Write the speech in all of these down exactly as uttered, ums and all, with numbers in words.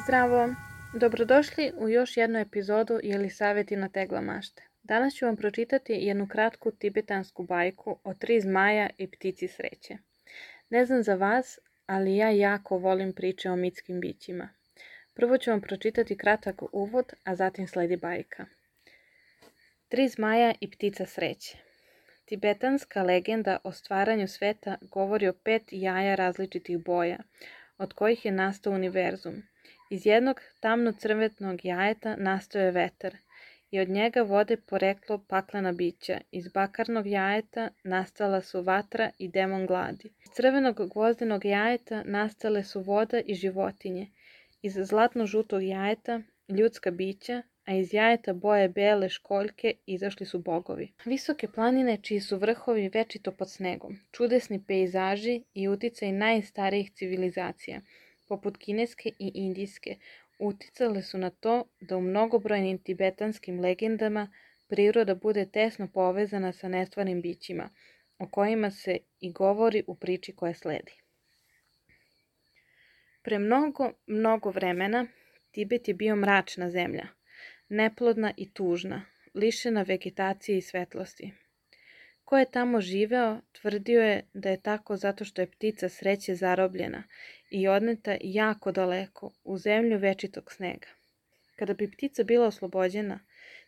Zdravo! Dobrodošli u još jednu epizodu Jelisaveti na tegla mašte. Danas ću vam pročitati jednu kratku tibetansku bajku o tri zmaja i ptici sreće. Ne znam za vas, ali ja jako volim priče o mitskim bićima. Prvo ću vam pročitati kratak uvod, a zatim sledi bajka. Tri zmaja i ptica sreće. Tibetanska legenda o stvaranju sveta govori o pet jaja različitih boja, od kojih je nastao univerzum. Iz jednog tamno-crvetnog jajeta nastao je vetar i od njega vode poreklo paklena bića. Iz bakarnog jajeta nastala su vatra i demon gladi. Iz crvenog gvozdenog jajeta nastale su voda i životinje. Iz zlatno-žutog jajeta ljudska bića, a iz jajeta boje bele školjke izašli su bogovi. Visoke planine čiji su vrhovi večito pod snegom, čudesni pejzaži i uticaj najstarijih civilizacija, poput kineske i indijske, uticale su na to da u mnogobrojnim tibetanskim legendama priroda bude tesno povezana sa nestvarnim bićima, o kojima se i govori u priči koja sledi. Pre mnogo, mnogo vremena Tibet je bio mračna zemlja, neplodna i tužna, lišena vegetacije i svetlosti. Ko je tamo živeo, tvrdio je da je tako zato što je ptica sreće zarobljena i odneta jako daleko, u zemlju večitog snega. Kada bi ptica bila oslobođena,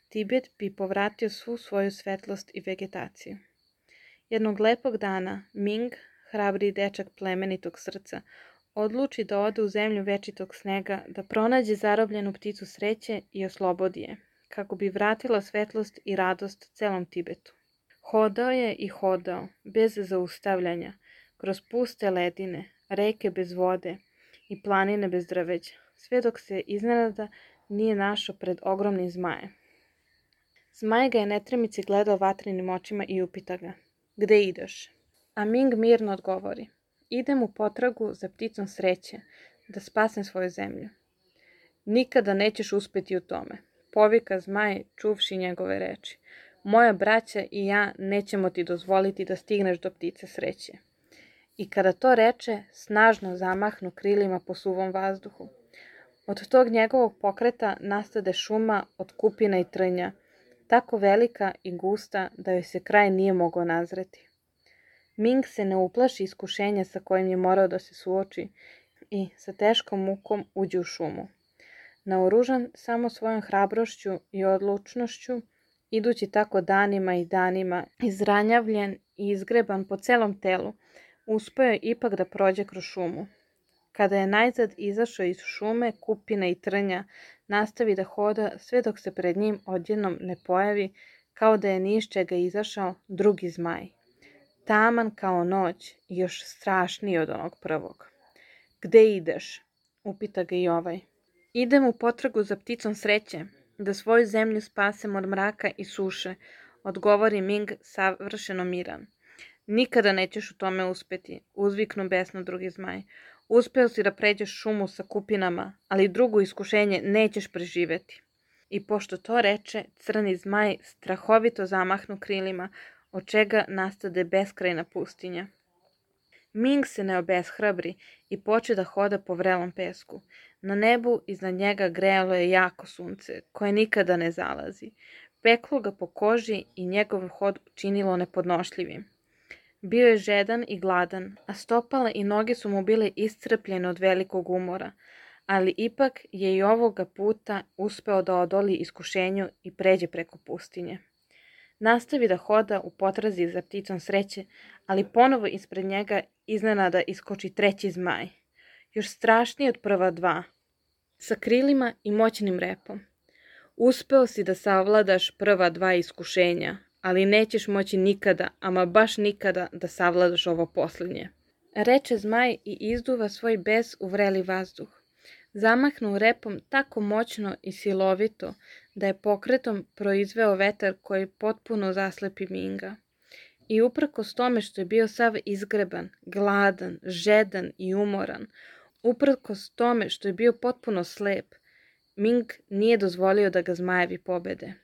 Tibet bi povratio svu svoju svetlost i vegetaciju. Jednog lepog dana, Ming, hrabri dečak plemenitog srca, odluči da ode u zemlju večitog snega, da pronađe zarobljenu pticu sreće i oslobodi je, kako bi vratila svetlost i radost celom Tibetu. Hodao je i hodao, bez zaustavljanja, kroz puste ledine, reke bez vode i planine bez drveća, sve dok se iznenada nije našao pred ogromnim zmajem. Zmaj ga je netremici gledao vatrenim očima i upita ga: "Gde ideš?" A Ming mirno odgovori: "Idem u potragu za pticom sreće, da spasem svoju zemlju." "Nikada nećeš uspeti u tome," povika zmaj čuvši njegove reči. "Moja braća i ja nećemo ti dozvoliti da stigneš do ptice sreće." I kada to reče, snažno zamahnu krilima po suvom vazduhu. Od tog njegovog pokreta nastade šuma od kupina i trnja, tako velika i gusta da joj se kraj nije mogao nazreti. Ming se ne uplaši iskušenja sa kojim je morao da se suoči i sa teškom mukom uđe u šumu. Naoružan samo svojom hrabrošću i odlučnošću, idući tako danima i danima, izranjavljen i izgreban po celom telu, uspeo je ipak da prođe kroz šumu. Kada je najzad izašao iz šume, kupina i trnja, nastavi da hoda sve dok se pred njim odjednom ne pojavi, kao da je ni iz čega izašao, drugi zmaj. Taman kao noć i još strašniji od onog prvog. "Gde ideš?" upita ga i ovaj. "Idem u potragu za pticom sreće, da svoju zemlju spasem od mraka i suše," odgovori Ming savršeno miran. "Nikada nećeš u tome uspeti," uzviknu besno drugi zmaj. "Uspeo si da pređeš šumu sa kupinama, ali drugo iskušenje nećeš preživeti." I pošto to reče, crni zmaj strahovito zamahnu krilima, od čega nastade beskrajna pustinja. Ming se ne obeshrabri i poče da hoda po vrelom pesku. Na nebu iznad njega grejalo je jako sunce, koje nikada ne zalazi. Peklo ga po koži i njegov hod činilo nepodnošljivim. Bio je žedan i gladan, a stopala i noge su mu bile iscrpljene od velikog umora, ali ipak je i ovoga puta uspeo da odoli iskušenju i pređe preko pustinje. Nastavi da hoda u potrazi za pticom sreće, ali ponovo ispred njega iznenada iskoči treći zmaj, još strašniji od prva dva, sa krilima i moćnim repom. "Uspeo si da savladaš prva dva iskušenja, ali nećeš moći nikada, ama baš nikada, da savladaš ovo posljednje," reče zmaj i izduva svoj bes u vreli vazduh. Zamahnu repom tako moćno i silovito da je pokretom proizveo vetar koji potpuno zaslepi Minga. I uprkos tome što je bio sav izgreban, gladan, žedan i umoran, uprkos tome što je bio potpuno slep, Ming nije dozvolio da ga zmajevi pobede.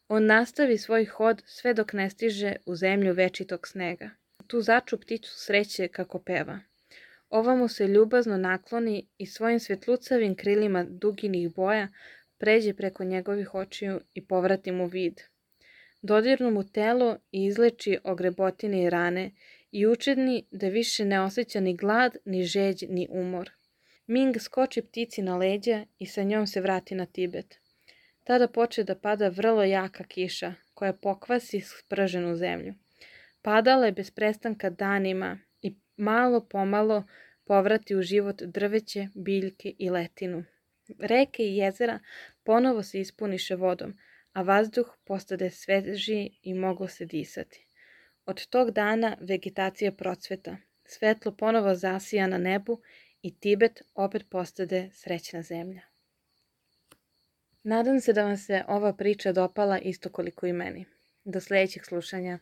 On nastavi svoj hod sve dok ne stiže u zemlju večitog snega. Tu začu pticu sreće kako peva. Ova mu se ljubazno nakloni i svojim svjetlucavim krilima duginih boja pređe preko njegovih očiju i povrati mu vid. Dodirnu mu telo i izleči ogrebotine i rane i učini da više ne osjeća ni glad, ni žeđ, ni umor. Ming skoči ptici na leđa i sa njom se vrati na Tibet. Tada poče da pada vrlo jaka kiša koja pokvasi sprženu zemlju. Padala je bez prestanka danima i malo pomalo povrati u život drveće, biljke i letinu. Reke i jezera ponovo se ispuniše vodom, a vazduh postade svežiji i moglo se disati. Od tog dana vegetacija procveta, svetlo ponovo zasija na nebu i Tibet opet postade srećna zemlja. Nadam se da vam se ova priča dopala isto koliko i meni. Do sljedećeg slušanja.